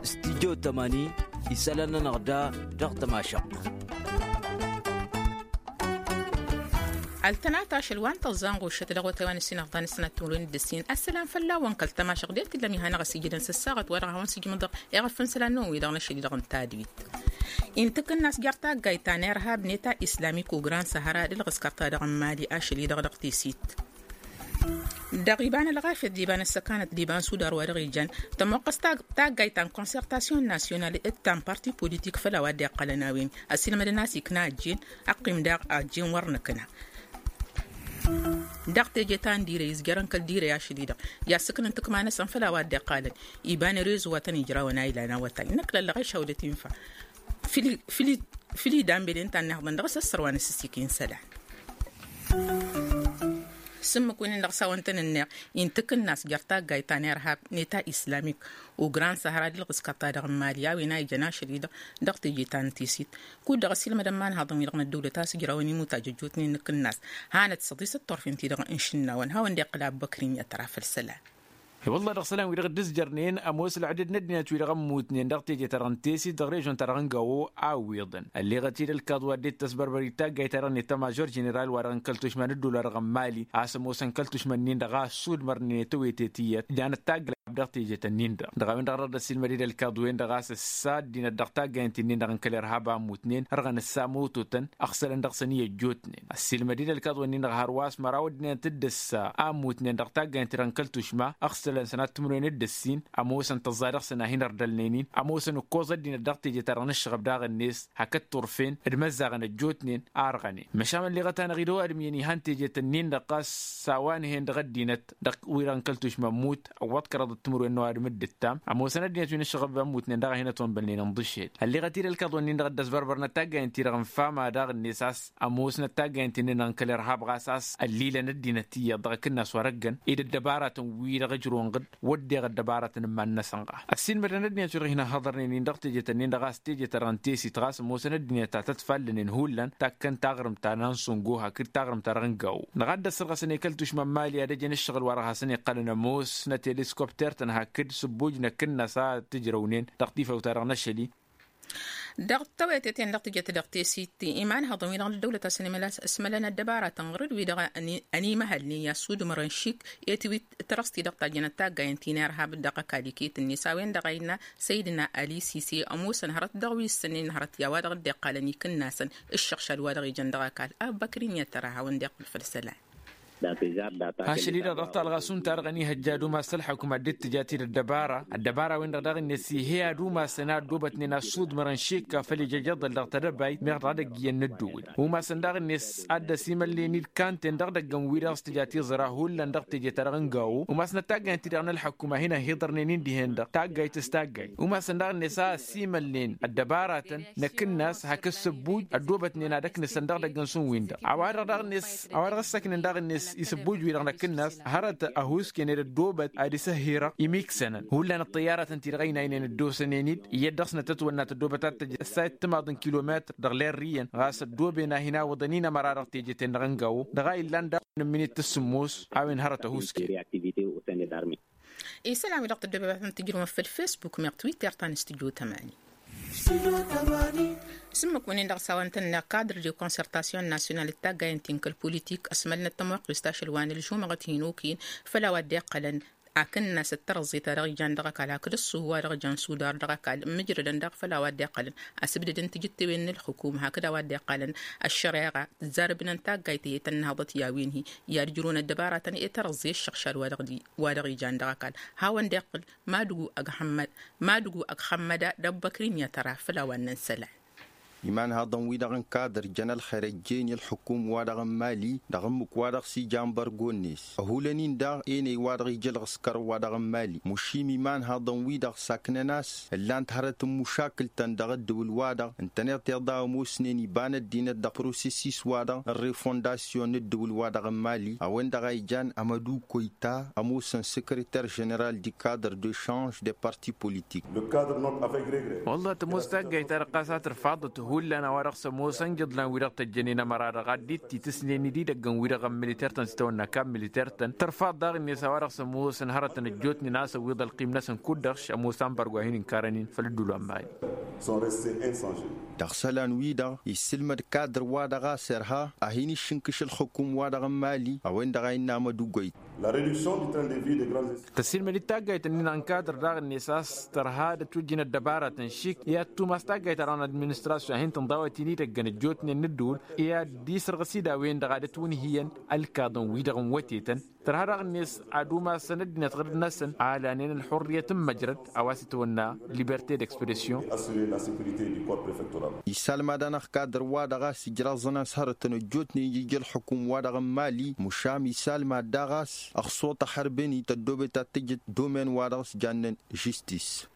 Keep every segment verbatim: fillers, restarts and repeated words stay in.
Studyo tămani isălan-nănăɣ da dăɣ-tămašăɣt. Ăltănat ašăl wa n-tăẓẓa n-ɣušăt dăɣ-otay wa n-ăssinăɣ d-anăsnăt timǝrwen d-ǝssin. Ăssălam fălla-wăn kăl-tămašăɣt d-e-t illa miha-năɣ ăsijădăn s-ăssaɣăt wa dăɣ-hawăn-sǝjmǝḍ iɣăf n-isălan-năwăn-wi-dăɣ n-ašăl-i-dăɣ n-tadwit. Intǝk ǝnnas jer-taggayt ta n-irhab neta islamik u-gran săhăra d-ǝlɣǝskăr-ta-dăɣ n-mali ašăl-i-dăɣ dăɣ-tesit. Dăɣ-iba n-ălɣafyăt d-iba n-ăssăkanăt d-iba n-sudar wa dăɣ-ijan tămoqqăs taggayt ta n-konsertasyon nasyonal d-ta n-parti politik făll-a-wa dd-iqqălăn a-wen ăsilmădăn a-s ikna ăjjeen. Ăqqim daɣ ăjjeen wăr nǝkna dăɣ-teje ta n-direy izjărăn kăl-direy ašăl-i-dăɣ i-ad-sǝknǝn tǝkma-năsăn făll-a-wa dd-iqqalăn iba n-erezo wa tăn-ijrawăn a ilan awătay năkk lăllăɣ išawdăt infa. Făll-i danbelen ta n-ihăḍăn dăɣ-s ăssăr wa n-asǝsik insălan. S-ǝmmǝk win-dăɣ s-a-wăn tăn-ǝnneɣ intǝk ǝnnas jer-taggayt ta n-irhab neta islamik u-gran săhra d-ǝlɣǝskăr-ta-dăɣ n-mali a-wen a ijăn ašăl-i-dăɣ dăɣ-teje ta n-tesit. Kud-dăɣ ăsilmădăn imanhaḍăn-wi-dăɣ n-ăddăwlăt a-s ǝjrawăn imut ajăjjootnen n-ǝkǝnnas hanăt-săḍisăt turfen ti-dăɣ n-išǝnnawăn hawăn-dd-iqqǝl abbăkri n-i-ad-tăra făll-isălan. I-wălla dăɣ-isălan-wi-dăɣ dd-ǝzjărnen ămoos ălɣădăd n-ăddinăt-wi-dăɣ ămmutnen dăɣ-teje-ta-dăɣ n-tesit dăɣ-režon-ta-dăɣ n-gawo a ǝwwiḍăn ălleɣăt-dd ălkaḍ wa dd-tăsbărbăr i-taggayt-ta-dăɣ n-etamajor ženeral-wa-dăɣ n-kăl-tušma n-ăddular ɣămmali a-s ămoosăn kăl-tušma-nin-dăɣ a ăssudmărnen i-tewete tiyyăt ǝjanăt taggayt dăɣ-teje-tăn-in-dăɣ dăɣ-a-wen-dăɣ dăɣ-dd-ăssiilmăd-dd ălkaḍ-wen-dăɣ a-s ăssa ăddinăt dăɣ-taggayt-in-dăɣ n-kăl-irhab a ămmutnen ărɣăn ǝssa mototăn ăɣsălăn dăɣ-săn i-ăjjootnen. Ăssiilmăd-dd ălkaḍ-wen-in-dăɣ hărwa a-s măraw ăddinăt dd-ăssa a ămmutnen dăɣ-taggayt-in-dăɣ n-kăl-tušma ăɣsălăn sănat timǝrwen d-ǝssin. Ămoosăn tăẓẓa dăɣ-săn a hin-ărdălnen-in ămoosăn ǝkkoẓ ăddinăt dăɣ-teje-ta-dăɣ n-ǝššăɣăb daɣ-net hakd turfen d-imăzzaɣăn ăjjootnen a ărɣănen. Măšan ălleɣăt-anăɣ-dd ăwadǝm iyyăn ihan teje-tăn-in-dăɣ ɣas s-a-wa n-hen dăɣ-ăddinăt dăɣ-wi-dăɣ n-kăl-tušma ămmut ăwwăḍ kăraḍăt timǝrwen n-ăwadǝm d-ǝttam ămoosăn ăddinăt wi n-ǝššăɣăb ămmutnen daɣ a hin-ătonbălnen ǝnḍǝšel. Ălleɣăt-dd ălkaḍ-wen-in-dăɣ dd-ăsbărbărnăt taggayăn-ti-dăɣ n-fama daɣ-net a-s ămoosnăt taggayăn-ti-nin-dăɣ n-kăl-irhab ɣas a-s ăllilăn ăddinăt iyyăḍ dăɣ-akǝnnas wa răggăn ed ăddăbaratăn-wi-dăɣ ǝjrǝwăn ɣǝd wădden ăddăbaratăn n-iman-năsăn ɣas. Ăssiilmădăn ăddinăt wi-dăɣ hin-ăhhăḍărnen-in dăɣ-teje-tăn-in-dăɣ a-s teje-ta-dăɣ n-tesit ɣas ămoosăn ăddinăt ta tătfallănen hullan takkăn taɣrǝmt ta n-ansǝngo hakd taɣrǝmt-ta-dăɣ n-gawo. Dăɣ-a dd-ăssărɣăsăn i-kăl-tušma n-mali ad-ăjăn ǝššăɣǝl wa dăɣ-hasăn-iqqălăn ămoosnăt i-ăliskopter-tăn hakd sǝbbuj n-akǝnnas a tǝjrăwnen dăɣ-tifawt-ta-dăɣ n-ašăl-i. Dăɣ-tawăyăt i-ten-dăɣ tǝjăt dăɣ-tesit imanhăḍăn-wi-dăɣ n-ăddăwlăt a-s ănimălăn ăddăbaratăn ɣur-dd wi-dăɣ ănimăhălnen i-assudmărăn šik i-tiwit tărăst-i-dăɣ tajjănăt taggayăn ti n-irhab dăɣ-ăkall iket-net a-wen-dăɣ a innă săydna ălisise ămoosăn hărăt dăɣ-wi ǝssǝnnen hărăt i-a-wa-dăɣ dd-iqqalăn ikǝnnasăn ǝššăɣšad wa dăɣ-ijăn dăɣ-ăkall. Abbăkri n-i-ad-tăra hawăn-dd-iqqǝl făll-isălan. Ašăl-i-dăɣ dăɣ-talɣa šund-ta-dăɣ ănihăjja ad-umas ălḥukǝm ad-dd-tǝja tid ăddăbara ăddăbara-wen-dăɣ daɣ-net ih'-e ad-umasăn a ăddoobătnen assudmărăn šikka făll-ijăjăḍăl dăɣ-tedăbayt meɣ dăɣ-edăgg iyyăn n-ăddăwǝl. Umasăn daɣ-net ad-dd-ăsimălnen-dd kanten dăɣ-idăggăn-wi-dăɣ s-tǝja tiẓra hullan dăɣ-teje-ta-dăɣ n-gawo umasnăt taggayt-ti-dăɣ n-ălḥukǝm a hin-ăhhiḍărnen-in dihen-dăɣ taggayt s-taggayt. Umasăn daɣ-net a ăsimălnen ăddăbaratăn n-akǝnnas hakd sǝbbuj ăddoobătnen ad-ăknǝsăn dăɣ-idăggăn šund-win-dăɣ a-wa-dăɣ daɣ-net a-wa dăɣ-ăssăknen daɣ-net isǝbbuj-wi-dăɣ n-akǝnnas hărăt ăhuusken ed ăddoobăt ad-isǝhhirăɣ imiksănăn hullan ăṭṭăyyaratăn-ti-dăɣ ăynaynen ăddoosănen-dd iyyăt dăɣ-snăt ătwănna tăddoobăt ad-tăj ăssayăt timaḍ n-kilometr dăɣ-lerriyăn ɣas ăddooben a hin-awǝḍăn-in ămăra dăɣ-teje-ten-dăɣ n-gawo dăɣ-a illan daɣ n-ǝmminit tǝssǝmmos a-wen hărăt ăhuusken. Isălan-wi-dăɣ tăddoobăt ad-tăn-tǝjrǝwăm făll-facebook meɣ twitter ta n-studyo tămani. S-ǝmmǝk-wăn-in-dăɣ s-a-wa n-tăn-năɣ kadr de consertasyon nasyonal d-taggayăn ti n-kăl-politik ăsmălnăt tămoqqest ašăl wa n-ălžumăɣăt hin-okăyăn făll-a-wa dd-iqqălăn akǝnnas d-tărăẓẓe ta dăɣ-ijan dăɣ-ăkall hakd ǝṣṣuhu wa dăɣ-jan sudar dăɣ-ăkall ǝmmǝjrădăn daɣ făll-a-wa dd-iqqălăn asǝbdăd n-tijǝttewen n-ǝlxǝkum hakd a-wa dd-iqqălăn ăššăreɣa tǝzzarăbnăn taggayt i-tăn-nǝhăḍăt i-a-wen-hi i-ad-ǝjrǝwăn ăddăbaratăn i-tărăẓẓe ǝššăɣšad wa dăɣ-ijan dăɣ-ăkall. Hawăn-dd-iqqǝl madǝgu ăgg-xămmăda d-ăbbăkri n-i-ad-tăra făll-a-wa n-nǝnsălan. Imanhăḍăn-wi-dăɣ n-kadăr jăn ălxer ăjjeen i-ălxukum-wa-dăɣ n-mali dăɣ-ǝmmǝk-wa-dăɣ s-ijan bărgo-net ăhulăn-in daɣ enăy-wa-dăɣ ija ălɣǝskăr-wa-dăɣ n-mali mušim imanhăḍăn-wi-dăɣ saknăn a-s ǝllan-t hărăt n-mušakǝl-tăn dăɣ-ǝddǝwǝl-wa-dăɣ ǝntăneḍ tiḍa ămoosnen iba n-ăddinăt dăɣ-prosesis-wa-dăɣ n-refondasyon n-ǝddǝwǝl-wa-dăɣ n-mali a-wen-dăɣ a ijan amădu koyta ămoosăn săkrăter ženeral di kadr de šanž de parti politik. Wălla tămoos taggayt-ta-dăɣ ɣas a tărfaḍăt. Hullan a-wa-dăɣ s-ămoosăn iḍlan-wi-dăɣ tăjjănen ămăra-dăɣ ad-dd-titǝsnen ididăggăn-wi-dăɣ n-militer-tăn s-itawănna kabb militer-tăn tărfaḍ daɣ-net a-wa-dăɣ s-ămoosăn hărătăn ăjjootnen a-s ăwwiḍ ălqim-năsăn kud-dăɣ š-ămoos ambargo a hin-inkarăn-in făll-ădduul wa n-mali. Dăɣ-isălan-wi-dăɣ issǝlmăd kadr-wa-dăɣ a-s irha a hin-iššǝnkǝš ǝlxǝkum-wa-dăɣ n-mali a-wen-dăɣ a innă amădugwăy. Tăsilmăd-dd taggayt-ǝnnin n-kadr daɣ-net a-s tărha ad-ătwǝjjǝn ăddăbaratăn šik i-ad-tumas taggayt-ta-dăɣ n-administrasyon a hin-tǝnḍa a-wa t-in-idăggăn ăjjootnen n-ǝddǝwǝl i-ad-dd-isărɣǝs-dd a-wen-dăɣ ad-ătwǝnhǝyăn ălkaḍăn-wi-dăɣ n-wătetăn. Tărha daɣ-net ad-umasăn ăddinăt ɣǝrǝd-năsăn a lanen ălxurriyăt n-măjrăd a-wa s-itwănna liberte d-expression. Issalmad-anăɣ kadr-wa-dăɣ a-s ǝjraẓăn a-s hărătăn ăjjootnen ija ǝlxǝkum-wa-dăɣ n-mali mušam issalmad daɣ a-s ăxṣuṭ ăḥărben-i tăddoobet ad-tǝjǝt domen-wa-dăɣ s-jannen žistis.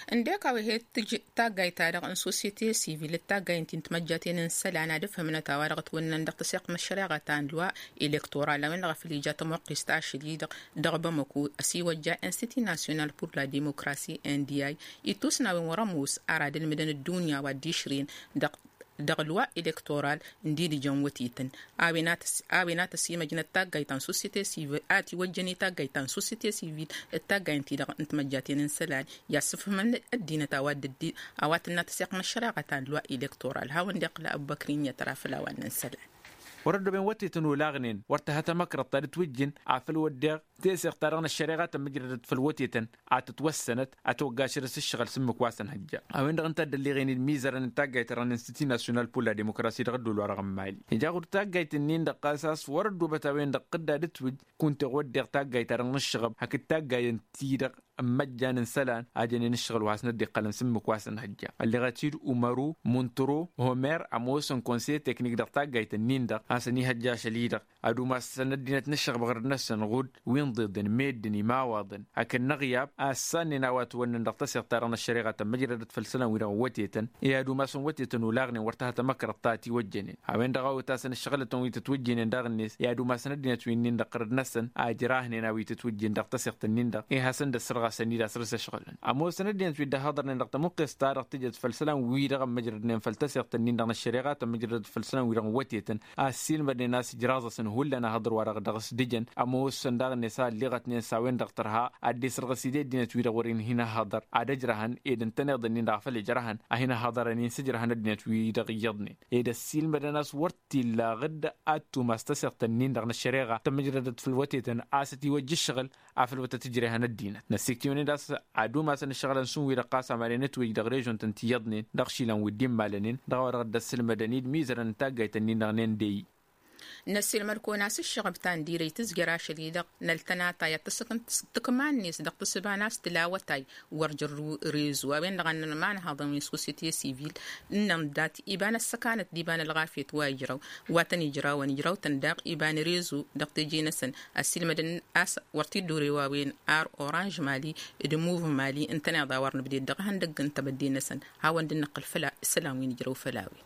Ǝndek a-wa he-tǝj taggayt-ta-dăɣ n-sosyete sivil d-taggayt n-timăjjaten n-isălan ad-ǝfhǝmnăt a-wa dăɣ-ătwănnăn dăɣ-tăseɣt n-ăššăreɣa ta n-lwa elektoral a-wen-dăɣ a făl ija tămuqqist ašăl-i-dăɣ dăɣ-bamăko ăsiwăjja institut national pour la demokrasi n d i ittus n-a-wen wăr-ămoos ar ad-ǝlmǝdăn ăddunya wa dd-išrǝyăn dăɣ-lwa elektoral n-didǝjăn wătetăn. A-wen a tăsimăjnăt taggayt ta n-sosyete sivil a tiwăjjăn i-taggayt ta n-sosyete sivil d-taggayt n-ti-dăɣ n-timăjjaten n-isălan i-ad-sǝfhǝmăn ăddinăt a-wa tǝnna tăseɣt n-ăššăreɣa ta n-lwa elektoral hawăn-dd-iqqǝl ăbbăkri n-iyyăt ra făll-a-wa n-isălan. Wăr-ăddooben wătetăn olaɣnen wăr tǝha tamăkrăḍt ta dd-twǝjjǝn afăl wădden teseɣt-ta-dăɣ n-ăššăreɣa tămmǝjrădăt făll-wătetăn a tǝtwăssănăt ad-tăwăggašădăt s-ǝššăɣǝl s-ǝmmǝk wa s-ănhăjja. A-wen-dăɣ ǝnta a dd-ălleɣen-dd imizărăn n-taggayt-ta-dăɣ n-institut national pour la demokrasi dăɣ-ădduul-wa-dăɣ n-mali ija ɣur-taggayt-ǝnnin-dăɣ ɣas a-s wăr-ăddoobăt a-wen-dăɣ tǝdda d-ǝtwǝj kunta iɣ wădden taggayt-ta-dăɣ n-ǝššăɣăb hakd taggayăn-ti-dăɣ n-imăjjan n-isălan a jănen ǝššăɣǝl wa hasnăt dd-iqqălăn s-ǝmmǝk wa s-ănhăjja. Ălleɣăt-dd umaru muntro homer ămoosăn konseye teknik dăɣ-taggayt-ǝnnin-dăɣ a-s ănihăjja ašăl-i-dăɣ ad-umasăn ăddinăt n-ǝššăɣǝb ɣărăt-năsăn ɣud wi n-iḍeḍen meddǝn imawaḍăn hakd n-aɣyab a ăssannen a-wa ătwănnăn dăɣ-tăseɣt-ta-dăɣ n-ăššăreɣa tămmăjrădăt făll-isălan-wi-dăɣ n-wătetăn i-ad-umasăn wătetăn olaɣnen wăr tăha tamăkrăḍt ta ătiwăjjănen. A-wen-dăɣ a otăsăn ǝššăɣǝlătăn wi tătwǝjjǝynen daɣ-net i-ad-umasăn ăddinăt wi-nin-dăɣ ɣărăt-năsăn a ǝjrahnen a-wi tătwǝjjǝyăn dăɣ-tăseɣt-nin-dăɣ i-hasăn-dd-ăssărɣasăn-dd asrǝs ǝšɣǝlăn. Ămoosăn ăddinăt wi dd-ăhhăḍărnen dăɣ-tămuqqest-ta-dăɣ tǝjăt făll-isălan-wi-dăɣ ămmăjrădnen făll-tăseɣt-nin-dăɣ n-ăššăreɣa tămmăjrădăt făll-isălan-wi-dăɣ n-wătetăn a ăssiilmădnen a-s ǝjraẓ-asăn hullan ahăḍăr-wa-dăɣ dăɣ-s dǝjăn. Ămoosăn daɣ-net a ălleɣătnen s-a-wen-dăɣ tărha ad-dd-isărɣǝs-dd i-ăddinăt-wi-dăɣ wăren hin-ăhhăḍăr ad-ăjrăhăn ed ǝntăneḍ-ǝnnin-dăɣ a făl ijrăhăn a hin-ăhhăḍărăn-in s-ǝjrăhăn ăddinăt-wi-dăɣ iyyăḍnen ed ăssiilmădăn a-s wăr t-illa ɣǝdd ad-tumas tăseɣt-ǝnnin-dăɣ n-ăššăreɣa tămmǝjrădăt făll-wătetăn a-s ătiwăjja ǝššăɣǝl afăl wăr tăt-ǝjrehăn ăddinăt năssiktǝwăn-dd a-s ad-umasăn ǝššăɣǝlăn šund wi-dăɣ ɣas amăren ătwǝj dăɣ-režon-tăn ti iyyăḍnen dăɣ-išilan wi dd-immalănen dăɣ-a-wa dăɣ-dd-ăssǝlmădăn-dd imizărăn n-taggayt-ǝnnin-dăɣ n-ende-i. Năssiilmăd-kăwăn a-s ǝššăɣăb ta n-dirăy tǝzjăr ašăl-i-dăɣ n-ăltănatay ad-tǝsǝkǝnt tǝkman-net dăɣ-tǝssǝba n-a-s tǝla awătay wăr jărrǝw rezo a-wen-dăɣ a ǝnnăn imanhaḍăn wi n-sosiyete sivil ǝnnăn dat iba n-ăssăkanăt d-iba n-ălɣafyăt wa ijrăw wa tăn-ijrawăn ijraw-tăn daɣ iba n-rezo dăɣ-teje-năsăn ăssiilmădăn a-s wăr t-dd-urew a-wen ar oranž mali d-muv mali ǝntăneḍ a wăr nǝbded dăɣ-ihăndăgg n-tebădde-năsăn. Hawăn-dd-nǝqqǝl făll-isălan wi nǝjrăw făll-a-wen.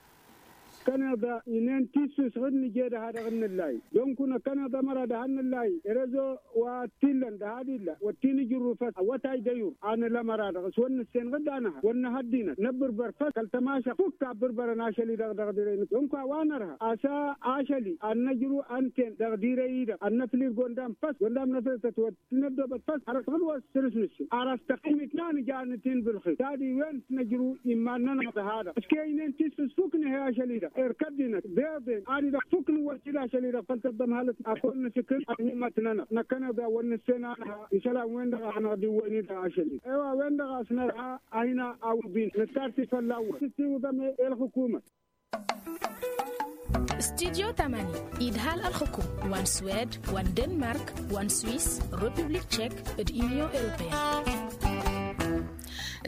Kăneḍ inen tissus ɣǝd nǝje dăha-dăɣ n-nǝllay. Donku năkkăneḍ ămăra dăha n-nǝllay rezo wa t-illăn dăha d-illa wăr t-in-ǝjrǝw făs awătay d-ăyur. Anǝl ămăra-dăɣ s-wăr nǝssen ɣǝd anăha wăr nǝha ăddinăt năbbǝrbăr făs kăl-tămašăɣt fukk a ǝbbǝrbărăn ašăl-i-dăɣ dăɣ-dirăy-năk donku a-wa nărha a-s ašăl-i ad-năjrǝw ănten dăɣ-dirăy-i-dăɣ ad-năflǝl gondam făs gondam năflǝl tăt-wăr t-năddoobăt făs ar ăsɣǝd wa s-săr-s nǝssen ar ăstăqimit n-anǝja anǝt-in bǝlxir. Tad-iwen s-năjrǝw iman-nănăɣ dăha-dăɣ ǝške ǝynen tissus fukk nǝhey ašăl-i-dăɣ erk ăddinăt beḍen ad-i-dăɣ fukk nǝwwăs-dd ašăl-i-dăɣ făll-tăḍḍămhălăt ad-kăwăn-nǝsǝkǝl ad-hin-imătnănăɣ năkkăneḍ a wăr nǝssen anăha isălan-wen-dăɣ a hanăɣ-dd-iwwăyni-dăɣ ašăl-i. Ewa a-wen-dăɣ a-s nărha a hin-awǝḍin nǝstarti fălla-wăn s-tiwǝḍăm i-ălxǝkumăt. Studyo tămani idhal ălxǝkum wa n-swed wa n-denmark wa n-swis, republik tšek d-unyon europeyăn.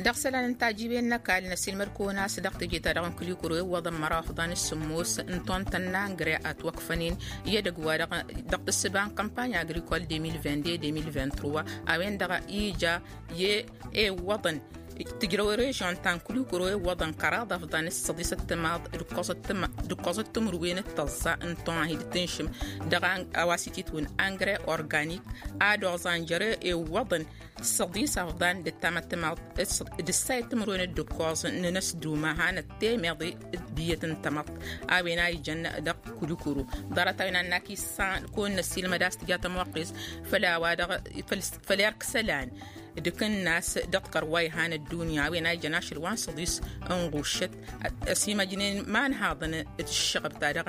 Dăɣ-isălan n-tajiwen n-ăkall năsilmăd-kăwăn a-s dăɣ-teje-ta-dăɣ n-kǝlikǝru iwwăḍăn măraw ăfḍan s-sǝmmos n-tont n-angre ătwăkfănen i-edăgg wa dăɣ-tǝssǝba n-kămpany agrikol deux mille vingt-deux deux mille vingt-trois a-wen-dăɣ ija i-iwwăḍăn. Tǝjrăw režion ta n-kulikuro iwwăḍăn kăraḍ afḍan s-săḍis ăttămaḍ d-ǝkkoẓăt tǝmǝrwen d-tăẓẓa n-tohid tǝnšǝm dăɣ-a wa s-ititwǝn angre organik ad-oẓan jere iwwăḍăn s-săḍis afḍan d-ăttamăttămaḍ d-ǝssayăt tǝmǝrwen d-ǝkkoẓ n-inăsduma hanăt temeḍe d-biyyăt n-tamăḍt a-wen a ijăn dăɣ-kulikuro. Ḍarăt a-wen a n-akis s-a kăwăn-năssilmăd a-s tǝja tămoqqes făll-a-wa dăɣ-făll-erk isălan d-akǝnnas dăɣ-tikăr wa ihan ăddunya a-wen a ijăn ašăl wa n-săḍis n-ɣuššăt ăsimăjnen imanhaḍăn d-ǝššăɣăb-ta-dăɣ.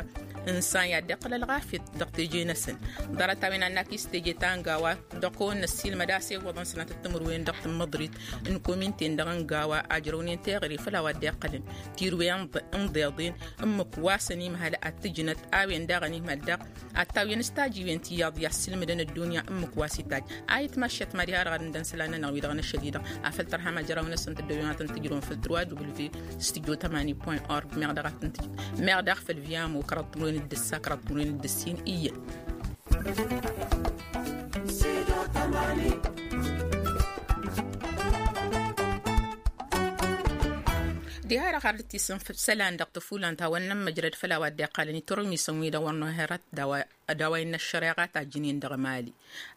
Ǝnsan i-ad-dd-iqqăl ălɣafyăt dăɣ-teje-năsăn. Ḍarăt a-wen a n-akis teje ta n-gawa dăɣ-kăwăn-năssilmăd a-s iwwăḍăn sănatăt timǝrwen dăɣ-tǝmmăḍrit n-kominten-dăɣ n-gawa ajrăwnen teɣăre făll-a-wa dd-iqqălăn tirwe n-iḍeḍen ǝmmǝk wa s-ănimhăl ad-tǝjnăt a-wen daɣ ănimhăl daɣ ad-tawǝyăn s-tajiwen tiyyăḍ i-ad-sǝlmǝdăn ăddunya ǝmmǝk wa s-itajj. A itmăššăt mad-iha-dăɣ ad-ǝndăn isălan-nănăɣ wi-dăɣ n-ašăl-i-dăɣ afăl tărha majăraw-năsăn tăddoyăn ad-tăn-tǝjrăwăn făll-trwa w s-tǝjjo tămani point org meɣ daɣ ad-tăn-tǝjrăwăn meɣ daɣ făll-viamo kăraḍ timǝrwen d-ǝssa kăraḍ timǝrwen d-ǝssin iyyăn. Diha-dăɣ har dd-tisǝnfǝd isălan dăɣ-tăfulant hawăn-nămmăjrăd făll-a-wa dd-iqqalăn iturǝmisăn-wi-dăɣ wăr nohărat d-a-wa innă ăššăreɣa ta ăjjǝnen dăɣ-mali.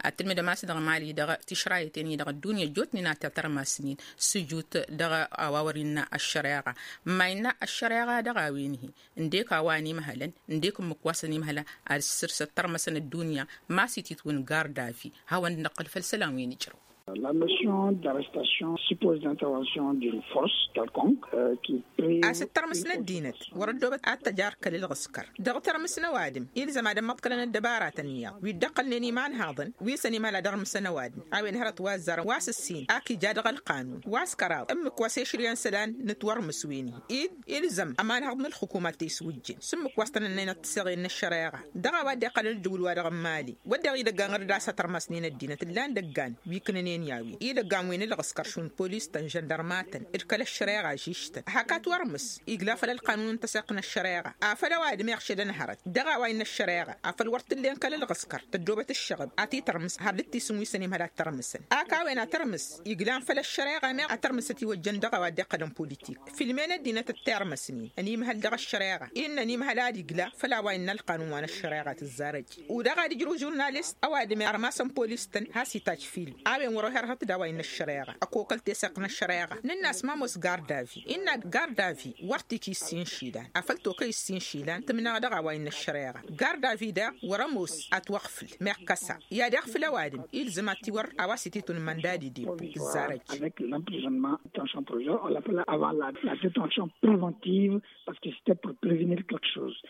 Ad-tǝlmǝdăm a-s dăɣ-mali dăɣ-tišrayăten-i-dăɣ ăddunya ăjjootnen a t-tărmasnen s-ǝjut dăɣ-a-wa wăr innă ăššăreɣa. Ma innă ăššăreɣa dăɣ-a-wen-hi ǝndek a-wa ănimhălăn ǝndek ǝmmǝk wa s-ănimhălăn ad-ǝssǝrsăt tărmăsăn ăddunya ma s-ititwǝn gardavi. Hawăn-dd-năqqǝl făll-isălan wi nǝjrăw. La notion d'arrestation suppose l'intervention d'une force quelconque qui a-s ǝttărmǝs n-ăddinăt wăr-ăddoobăt ad-tăj arkăl ǝlɣǝskăr dăɣ-tărmǝs n-ăwadǝm. Ilzăm ad-ămmăḍkălăn ăddăbaratăn iyyăḍ wi dd-ăqqălnen imanhaḍăn wi s-ănimhăl ad-ărmǝsăn ăwadǝm. A-wen hărăt wa ăzzarăn wa s-ǝssin ak ija dăɣ-ălqanun wa s-kăraḍ ǝmmǝk wa s-ešrǝyăn isălan n-ătwărmǝs wen-hi-dd. Ilzăm ămanhăḍ n-ǝlxǝkum ad-t-iswǝjjǝn s-ǝmmǝk wa s-tăn-ănnăynăt tisăɣen n-ăššăreɣa. Dăɣ-a-wa dd-iqqălăn ăddǝwǝl-wa-dăɣ n-mali wădden idăggan ɣǝr-dd a-s ătărmasnen ăddinăt ǝllan idăggan wi ǝknănen i-a-wen idăggan wi n-ǝlɣǝskăr šund polis-tăn žăndărma-tăn d-kăl-ăššăreɣa žiš-tăn. Hak atwărmǝs igla făll-ălqanun n-tăseɣt n-ăššăreɣa afăl ăwadǝm iɣšădăn hărăt dăɣ-a-wa innă ăššăreɣa afăl wăr t-tǝllen kăl-ǝlɣǝskăr tăddoobăt ǝššăɣǝb ad-t-tărmǝs har dd-tisǝnwi s-ănimhăl ad-tărmǝsăn. Ak a-wen ad-tărmǝs iglan făll-ăššăreɣa meɣ ad-tărmǝs ătiwăjjăn dăɣ-a-wa dd-iqqălăn politik filmen ăddinăt ăttirmăsnen ănimhăl dăɣ-ăššăreɣa innă ănimhăl ad-igla făll-a-wa innă ălqanun wa n-ăššăreɣa tǝzzarăj. U-dăɣ ad-ǝjrǝw žurnalist ăwadǝm ărmasăn polis-tăn has-itajj film a-wen wăr-oherhăt d-a-wa innă ăššăreɣa ăkokăl teseɣt n-ăššăreɣa. Nǝnn'-as ma ămoos gardavi innă gardavi wăr t-iki ǝssin išilan afăl tokăy ǝssin išilan tǝmnăɣ dăɣ-a-wa innă ăššăreɣa. Gardavi daɣ wăr-ămoos atwăɣfǝl meɣ kăsa i-ad-iɣfǝl ăwadǝm ilzăm ad-t-iwăr a-wa s-ititun măndadi d-ibu tǝzzarăj. Avec l'emprisonnement tension provisoire on l'appela avant la détention préventive parce que c'était pour prévenir quelque chose.